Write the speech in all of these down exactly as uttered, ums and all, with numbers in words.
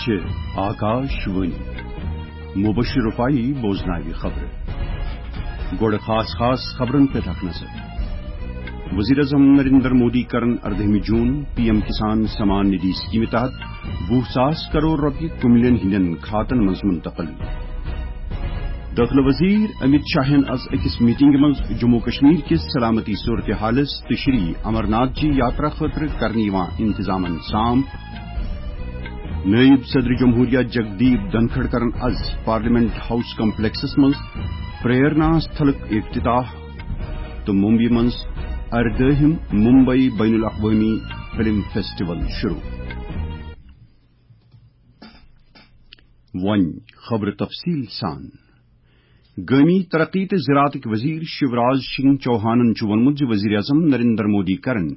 چھِ آکاش وٲنی۔ مبشر رفاعی بوزناوِ خبرٕ۔ گۄڈٕ خاص خاص خبرن پٮ۪ٹھ اکھ نظر۔ وزیر اعظم نریندر مودی کرن اردہمہِ جون پی ایم کسان سمان ندھی سکیمہِ تحت وُہ ساس کرور رۄپیہِ کُملٮ۪ن ہٕنٛدٮ۪ن کھاتن منٛز منتقل۔ دٲخلہٕ وزیر امیت شاہن از أکِس میٹنگہِ منٛز جموں کشمیر کِس سلامتی صورتحالس تہٕ شری امرناتھ جی یاترا خٲطرٕ کرنہٕ یِوان انتظامن سام۔ نٲیِب صدر جمہوریہ جگدیپ دھنکھڑ کرن از پارلیمنٹ ہاؤس کمپلیکسس منٛز پریرنا استھلُک افتتاح تہٕ ممبئی منٛز اردٲہِم ممبئی بین الاقوٲمی فلم فیسٹیول شروع۔ وۄنۍ خبرٕ تفصیٖل سان۔ گٲمی ترقی تہٕ زراعتٕکۍ وزیر شیوراج سنگھ چوہانن چھُ ووٚنمُت زِ وزیر اعظم نریندر مودی کرن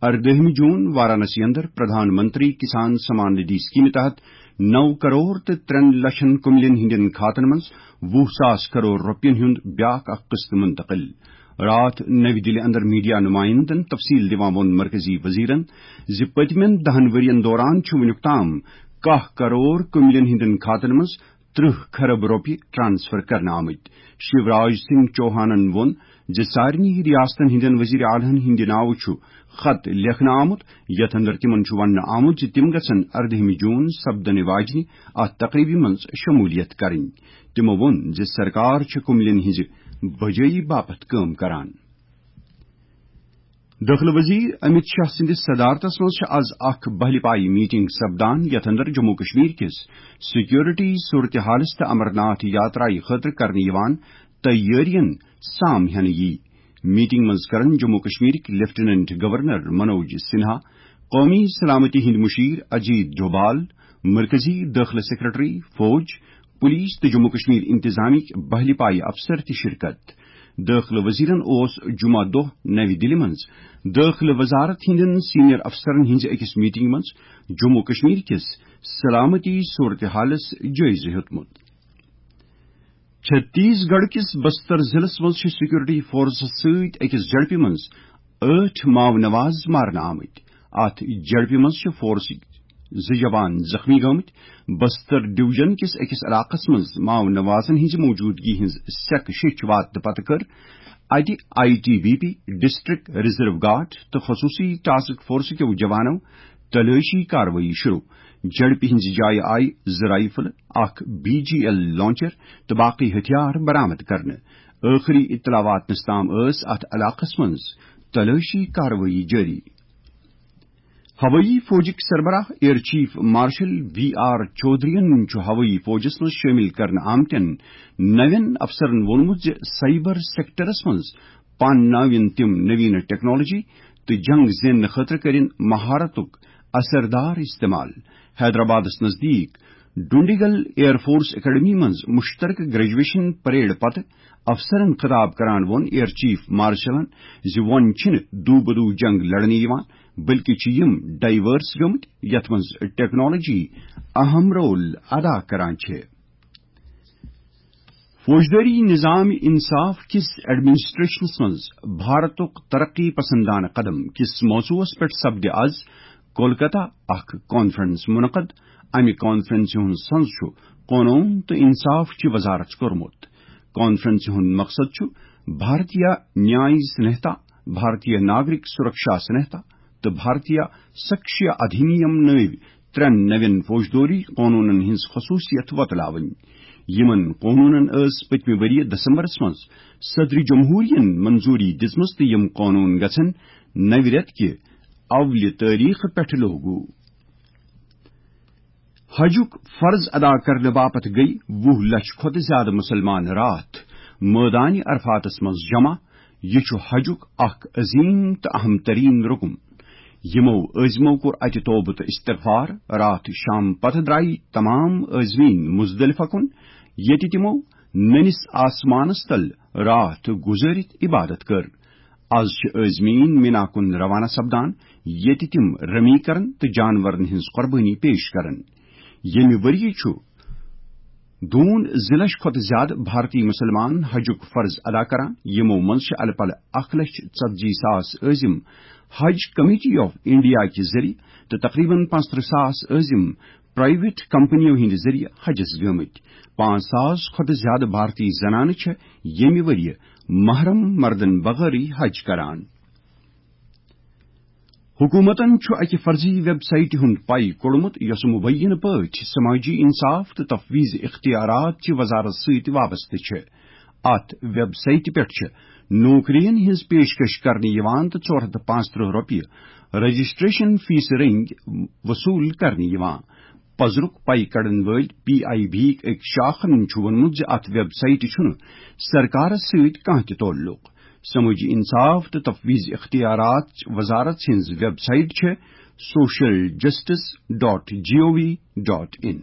اردٲہمہِ جون وارانسی اندر پردھان منتری کسان سمان ندھی سکیمہِ تحت نو کرور تہٕ ترٛٮ۪ن لچھن کُملٮ۪ن ہٕنٛدٮ۪ن کھاتن منٛز وُہ ساس کرور رۄپین ہُنٛد بیاکھ اکھ قسط منتقل۔ راتھ نَوِ دِلہِ اندر میڈیا نُمایندن تفصیٖل دِوان ووٚن مرکزی وزیرن زِ پٔتمٮ۪ن دَہن ؤرین دوران چھُ وُنیُک تام کاہ کرور کُملٮ۪ن ہٕنٛدٮ۪ن کھاتن منٛز ترٕٛہ کھرب رۄپیہِ ٹرانسفر کرنہٕ آمٕتۍ۔ شیوراج سنگھ چوہانن ووٚن زِ سارنٕے ریاستن ہٕنٛدٮ۪ن وزیر اعلیٰ ہن ہٕنٛدِ ناوٕ چھُ خط لیکھنہٕ آمُت، یتھ اندر تِمن چھُ وننہٕ آمُت زِ تِم گژھن اردہمہِ جون سپدنہٕ واجنہِ اتھ تقریبہِ منٛز شمولیت کرٕنۍ۔ تِمو ووٚن زِ سرکار چھِ کُملٮ۪ن ہٕنٛزِ بجٲیی باپتھ کٲم کران۔ دٲخلہٕ وزیر امیت شاہ سٕنٛدِس صدارتس منٛز چھِ از اکھ بہلہِ پایہِ میٹنگ سپدان، یتھ اندر جموں کشمیر کِس سیکورٹی صورتحالس تہٕ امرناتھ یاترایہِ خٲطرٕ کرنہٕ یِوان تیٲرین سام ہٮ۪نہٕ یی۔ میٹنگ منٛز کرن جموں کشمیرٕکۍ لیفٹیننٹ گورنر منوج سنہا، قومی سلامتی ہٕنٛدۍ مشیر اجیت ڈوبھال، مرکزی دٲخلہٕ سیکرٹری، فوج، پولیس تہٕ جموں کشمیر انتظامیہٕکۍ بہلہِ پایہِ افسر تہِ شرکت۔ دٲخلہٕ وزیرن اوس جمعہ دۄہ نَوِ دِلہِ منٛز دٲخلہٕ وزارت ہٕنٛدٮ۪ن سینئر افسرن ہٕنٛزِ أکِس میٹنگہِ منٛز جموں کشمیر کِس سلامتی صورتحالس جٲیزٕ ہیوٚتمُت۔ چھتیس گڑھ کِس بستر ضلعس منٛز چھِ سیکورٹی فورسس سۭتۍ أکِس جھڑپہِ منٛز ٲٹھ ماؤ نواز مارنہٕ آمٕتۍ۔ اتھ جھڑپہِ منٛز چھِ فورسٕکۍ زٕ جوان زخمی گٔمٕتۍ۔ بستر ڈویژن کِس أکِس علاقس منٛز ماؤ نوازن ہٕنٛزِ موجودگی ہٕنٛز سیکہٕ شیٚچھ واتنہٕ پتہٕ کٔر اتہِ I T B P, district reserve guard تہٕ خصوصی ٹاسک فورس کیو جوانو تلٲشی کاروٲیی شروع۔ جھڑپہِ ہٕنٛزِ جایہِ آیہِ زٕ رائفل، اکھ بی جی ایل لانچر تہٕ باقی ہتھیار برآمد کرنہٕ۔ ٲخری اطلاع واتنس تام ٲس اتھ علاقس منٛز تلٲشی کاروٲیی جٲری۔ ہوٲیی فوجٕکۍ سربراہ air chief marshal V R چودھرین چھُ ہوٲیی فوجس منٛز شٲمِل کرنہٕ آمتٮ۪ن نوٮ۪ن افسرن ووٚنمُت زِ سائبر سیکٹرس منٛز پانناوِن تِم نوین ٹیکنالوجی تہٕ جنگ زیننہٕ خٲطرٕ کٔرِن مہارتُک اثردار استعمال۔ حیدرآبادس نزدیٖک ڈونڈیگل ایئر فورس اکیڈمی منٛز مشترکہٕ گریجویشن پریڈ پتہٕ افسرن خطاب کران ووٚن ایئر چیف مارشلن زِ وۄنۍ چھِنہٕ دو بدو جنگ لڑنہٕ یِوان، بلکہ چھِ یِم ڈائیورس گٔمٕتۍ، یتھ منٛز ٹیکنالوجی اہم رول ادا کران چھِ۔ فوجدٲری نظام انصاف کِس ایڈمنسٹریشنس منٛز بھارتُک ترقی پسندانہ قدم کِس موضوعس پٮ۪ٹھ سپدِ از کولکتہ اکھ کانفرنس منعقد۔ امہِ کانفرنسہِ ہُنٛد سنز چھُ قونوٗن تہٕ انصاف چہِ وزارت کوٚرمُت۔ کانفرنسہِ ہُنٛد مقصد چھُ بھارتیہ نیای سنہتا، بھارتیہ ناگرک سرکشا سنہتا تہٕ بھارتیہ سکشیا ادھینیم نٲوۍ ترٛٮ۪ن نوٮ۪ن فوجدٲری قونوٗنن ہٕنٛز خصوٗصیت وۄتلاوٕنۍ۔ یِمن قونوٗنن ٲس پٔتمہِ ؤرۍ یہِ دسمبرس منٛز صدر جمہوریہن منظوٗری دِژمٕژ تہٕ یِم قونوٗن گژھن نوِ رٮ۪تہٕ کہِ اولہِ تٲریخہٕ پٮ۪ٹھٕ لوگو۔ حجُک فرض ادا کرنہٕ باپتھ گٔیہِ وُہ لچھ کھۄتہٕ زیادٕ مُسلمان راتھ مٲدانِ عرفاتس منٛز جمع۔ یہِ چھُ حجُک اکھ عظیم تہٕ اہم ترین رُکُن۔ یِمو عٲزمو کوٚر اتہِ توبہٕ تہٕ استغفار۔ راتھ شام پتہٕ درایہِ تمام عٲزمیٖن مزدلفہ کُن، ییٚتہِ تِمو نٔنِس آسمانس تل راتھ گُزٲرِتھ عبادت کٔر۔ از چھِ عٲزمیٖن مینا کُن روانہ سپدان، ییٚتہِ تِم رمی کرن تہٕ جانورن ہٕنٛز قۄربٲنی پیش کرن۔ ییٚمہِ ؤرۍ یہِ چھُ دوٗن زٕ لچھ کھۄتہٕ زیادٕ بھارتی مُسلمان حجُک فرض ادا کران، یِمو منٛز چھِ الہٕ پلہٕ اکھ لچھ ژتجی ساس عٲزم حج کمیٹی آف انڈیا کہِ ذٔریعہٕ تہٕ تقریباً پانٛژترٕٛہ ساس عٲزم پرائیویٹ کمپنیو ہٕنٛدِ ذٔریعہٕ حجس گٲمٕتۍ۔ پانٛژھ ساس کھۄتہٕ زیادٕ بھارتی زنانہٕ چھےٚ ییٚمہِ ؤرۍ یہِ محرم مردن بغٲرٕے حج کران۔ حکومتن چھُ اکہِ فرضی ویب سائٹہِ ہُنٛد پاے کوٚڑمُت، یۄسہٕ مبینہ پٲٹھۍ سماجی انصاف تہٕ تفویض اختیارات چہِ وزارت سۭتۍ وابستہٕ چھِ۔ اتھ ویب سائٹہِ پٮ۪ٹھ چھِ نوکرین ہٕنٛز پیشکش کرنہٕ یِوان تہٕ ژور ہتھ تہٕ پانٛژترٕہ رۄپیہِ رجسٹریشن فیس رٔنگۍ وصوٗل کرنہٕ یِوان۔ پزرُک پاے کڑن وٲلۍ پی آئی بی یِک أکۍ شاخن چھُ ووٚنمُت زِ اتھ ویب سائٹہِ چھُنہٕ سرکارس سۭتۍ کانٛہہ تہِ تعلق۔ سمٲجی انصاف تہٕ تفویض اختیارات وزارت ہٕنٛز ویب سائٹ چھےٚ social justice dot G O V dot in.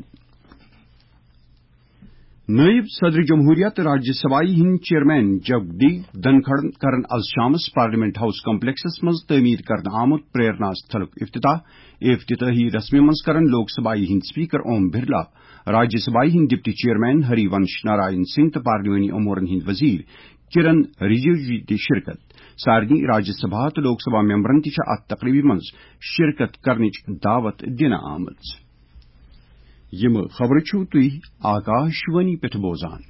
نائب صدر جمہوریہ تہٕ راجیہ سبھایہ ہٕنٛدۍ چیئرمین جگدیپ دھنکھڑن کرن از شامس پارلیمنٹ ہاؤس کمپلیکسس منٛز تعمیر کرنہٕ آمُت پریرنا ستھلُک افتتاح۔ افتتاحی رسمہِ منٛز کرن لوک سبھایہ ہٕنٛدۍ اسپیکر اوم برلا، راجیہ سبھایہ ہٕنٛدۍ ڈپٹی چیئرمین ہری ونش نارائن سنگھ تہٕ پارلیمانی امورن ہٕنٛدۍ وزیر کرن رجیجو تہِ شرکت۔ سارنٕے راجیہ سبھا تہٕ لوک سبھا ممبرن تہِ چھِ اتھ تقریبہِ منٛز شرکت کرنٕچ دعوت دِنہٕ آمٕژ۔ یِم خبرٕ چھِو تُہۍ آکاشوانی پٮ۪ٹھ بوزان۔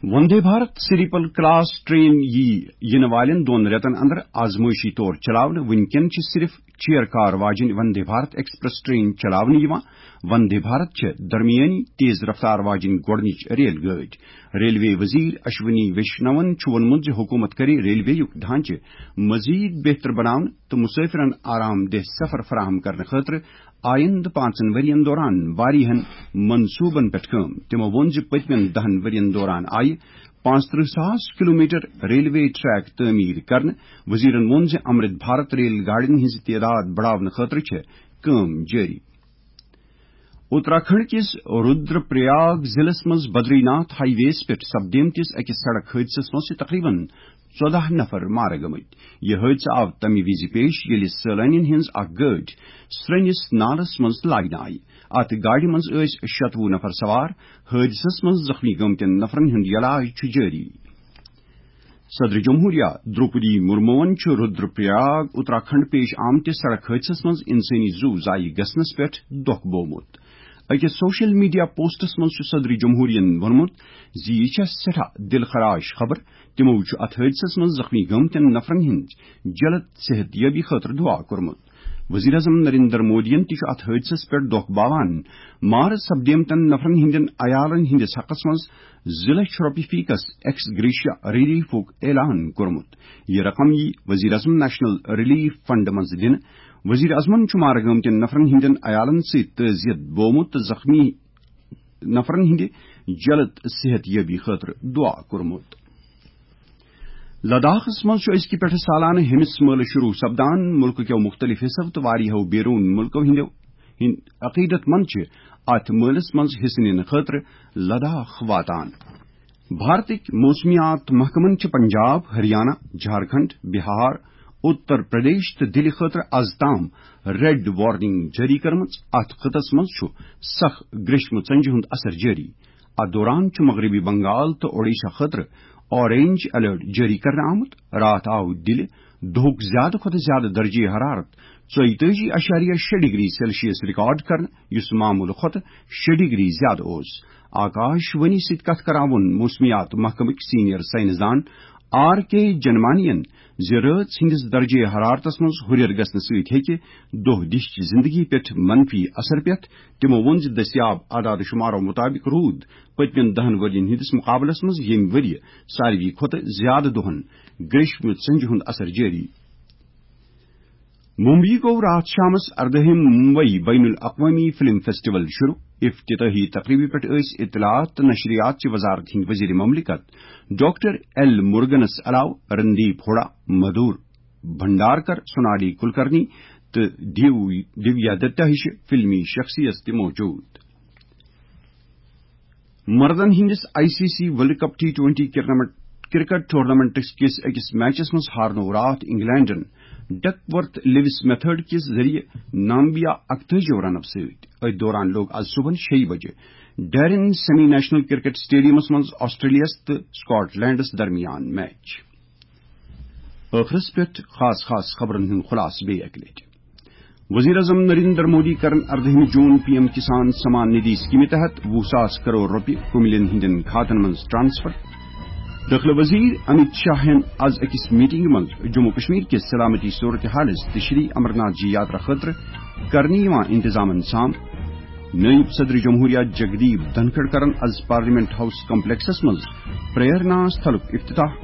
Vande Bharat sleeper class train یی یِنہٕ والٮ۪ن دۄن رٮ۪تن اندر آزمٲیشی طور چلاونہٕ۔ وٕنکٮ۪ن چھِ صرف چیئر کار واجٮ۪ن وندے بھارت ایکسپریس ٹرین چلاونہٕ یِوان۔ وندے بھارت چھےٚ درمیٲنی تیز رفتار واجٮ۪ن گۄڈٕنِچ ریل گٲڑۍ۔ ریلوے وزیر اشونی ویشنون چھُ ووٚنمُت زِ حکومت کرِ ریلوے یُک ڈھانچہٕ مزید بہتر بناونہٕ تہٕ مسافرن آرام دہ سفر فراہم کرنہٕ خٲطرٕ آئندٕ پانٛژن ؤرین دوران واریاہن منصوبن پٮ۪ٹھ کٲم۔ تِمو ووٚن زِ پٔتمٮ۪ن دہن ؤرین دوران آیہِ پانٛژترٕہ ساس کلومیٹر ریلوے ٹریک تعمیر کرنہٕ۔ وزیرن ووٚن زِ امرت بھارت ریل گاڑین ہٕنٛز تعداد بڑاونہٕ خٲطرٕ چھےٚ کٲم جٲری۔ اتراکھنڈ کِس رودر پریاگ ضلعس منٛز بدری ناتھ ہائی ویس پٮ۪ٹھ سپدیمتِس أکِس سڑک حٲدثس منٛز چھِ تقریباً ژۄداہ نفر مارٕ گٔمٕتۍ۔ یہِ حٲدثہٕ آو تَمہِ وِزِ پیش، ییٚلہِ سٲلٲنین ہٕنٛز اکھ گٲڑۍ سرٛنِس نالس منٛز لاینہٕ آیہِ۔ اتھ گاڑِ منٛز ٲسۍ شتوُہ نفر سوار۔ حٲدثس منٛز زخمی گٔمتٮ۪ن نفرن ہُنٛد علاج چھُ جٲری۔ صدر جمہوریہ درٛوپدی مرموَن چھُ رودر پریاگ اتراکھنڈ پیش آمتِس سڑک حٲدثس منٛز انسٲنی زُو ضایع گژھنس پٮ۪ٹھ دۄکھ بوومُت۔ أکِس سوشل میڈیا پوسٹس منٛز چھُ صدر جمہوریہن ووٚنمُت زِ یہِ چھےٚ سٮ۪ٹھاہ دِل خراش خبر۔ تِمو چھُ اتھ حٲدثس منٛز زخمی گٔمتٮ۪ن نفرن ہٕنٛز جلد صحت یٲبی خٲطرٕ دعا کوٚرمُت۔ وزیر اعظم نریندر مودیَن تہِ چھُ اتھ حٲدثس پٮ۪ٹھ دۄکھ باوان مارٕ سپدیمتٮ۪ن نفرن ہٕنٛدٮ۪ن عیالن ہٕنٛدِس حقس منٛز زٕ لچھ رۄپیہِ فی کس ایکس گریشیا ریلیفُک اعلان کوٚرمُت۔ یہِ رقم یی وزیر اعظم نیشنل ریلیف فنڈ منٛز دِنہٕ۔ وزیر اعظمن چھُ مارٕ گٲمتٮ۪ن نفرن ہٕنٛدٮ۪ن عیالن سۭتۍ تعزیت بوومُت تہٕ زخمی نفرن ہٕنٛدِ جلد صحت یٲبی خٲطرٕ دعا کوٚرمُت۔ لداخس منٛز چھُ أزکہِ پٮ۪ٹھٕ سالانہٕ ہیمس مٲلہٕ شروع سپدان۔ مُلکہٕ کٮ۪و مُختٔلِف حصو تہٕ واریاہو بیروٗن مُلکو ہٕنٛدٮ۪و ہٕنٛدۍ عقیدت مند چھِ اتھ مٲلس منٛز حصہٕ نِنہٕ خٲطرٕ لداخ واتان۔ بھارتٕکۍ موسمیات محکمن چھِ پنجاب، ہریانہ، جھارکھنڈ، بہار، اتر پردیش تہٕ دِلہِ خٲطرٕ از تام ریڈ وارننگ جٲری کٔرمٕژ۔ اتھ خطس منٛز چھُ سخ گریشمہٕ ژنجہِ ہُنٛد اثر جٲری۔ اتھ دوران چھُ مغربی بنگال تہٕ اوڈیشہ خٲطرٕ اورینج الرٹ جٲری کرنہٕ آمُت۔ راتھ آو دِلہِ دۄہُک زیادٕ کھۄتہٕ زیادٕ درجہ حرارت ژۄیتٲجی اعشاریہ شےٚ ڈگری سیلسیس ریکارڈ کرنہٕ، یُس معموٗلہٕ کھۄتہٕ شےٚ ڈگری زیادٕ اوس۔ آکاش وانی سۭتۍ کتھ کران ووٚن موسمیات محکمٕکۍ سینئر سائنسدان آر کے جنمانین زِ رٲژ ہٕنٛدِس درجہ حرارتس منٛز ہُرٮ۪ر گژھنہٕ سۭتۍ ہیٚکہِ دۄہ دِش چہِ زندگی پٮ۪ٹھ منفی اثر پٮ۪تھ۔ تِمو ووٚن زِ دٔستیاب اعداد شمارو مُطابق روٗد پٔتمٮ۪ن دَہَن ؤرین ہٕنٛدِس مُقابلس منٛز ییٚمہِ ؤرۍ یہِ ساروی کھۄتہٕ زیادٕ دۄہن گریشمہِ ژنجہِ ہُنٛد اثر جٲری۔ ممبئی گوٚو راتھ شامس اردٲہِم ممبئی بین الاقوامی فلم فیسٹیول شروع۔ افتتاحی تقریبہِ پٮ۪ٹھ ٲسۍ اطلاعات تہٕ نشریات چہِ وزارت ہٕنٛدۍ وزیر مملکت ڈاکٹر ایل مرگنس علاوٕ رندیپ ہوڈا، مدھور بھنڈارکر، سونالی کلکرنی تہٕ دیو-، دیویا دتا ہِش فلمی شخصیت تہِ موجود۔ مردن ہٕنٛدِس I C C world cup T twenty cricket tournament کِس أکِس میچس منٛز ہارنوو راتھ انگلینڈن ڈک ورتھ لیوس میتھڈ کِس ذٔریعہٕ نامبیا اکتٲجی رنو سۭتۍ۔ أتھۍ دوران لوٚگ از صبحن شیٚیہِ بجہِ Darren semi national cricket stadiums منٛز آسٹریلیاہس تہٕ سکاٹ لینڈس درمیان میچ۔ ٲخرس پٮ۪ٹھ خاص خاص خبرن ہُنٛد خلاصہٕ بیٚیہِ اکہِ لٹہِ۔ وزیر اعظم نریندر مودی کرن اردہمہِ جون پی ایم کسان سمان ندی سکیمہِ تحت وُہ ساس کرور رۄپیہِ کُملٮ۪ن ہٕنٛدٮ۪ن کھاتن منٛز ٹرانسفر۔ دٲخلہٕ وزیر امیت شاہ ہن از أکِس میٹنگہِ منٛز جموں کشمیر کِس سلامتی صورتحالس تہٕ شری امرناتھ جی یاترا خٲطرٕ کرنہٕ یِوان انتظامن سام۔ نٲیِب صدر جمہوریہ جگدیپ دھنکھڑ کرن از پارلیمنٹ ہاؤس کمپلیکسس منٛز پریرنا استھلُک افتتاح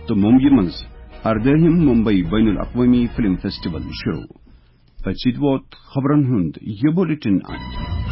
تہٕ ممبیہِ منٛز اردٲہِم ممبئی بین الاقوٲمی فلم فیسٹیول شروع۔ أتھۍ سۭتۍ ووت خبرن ہُنٛد یہِ بلیٹن اند۔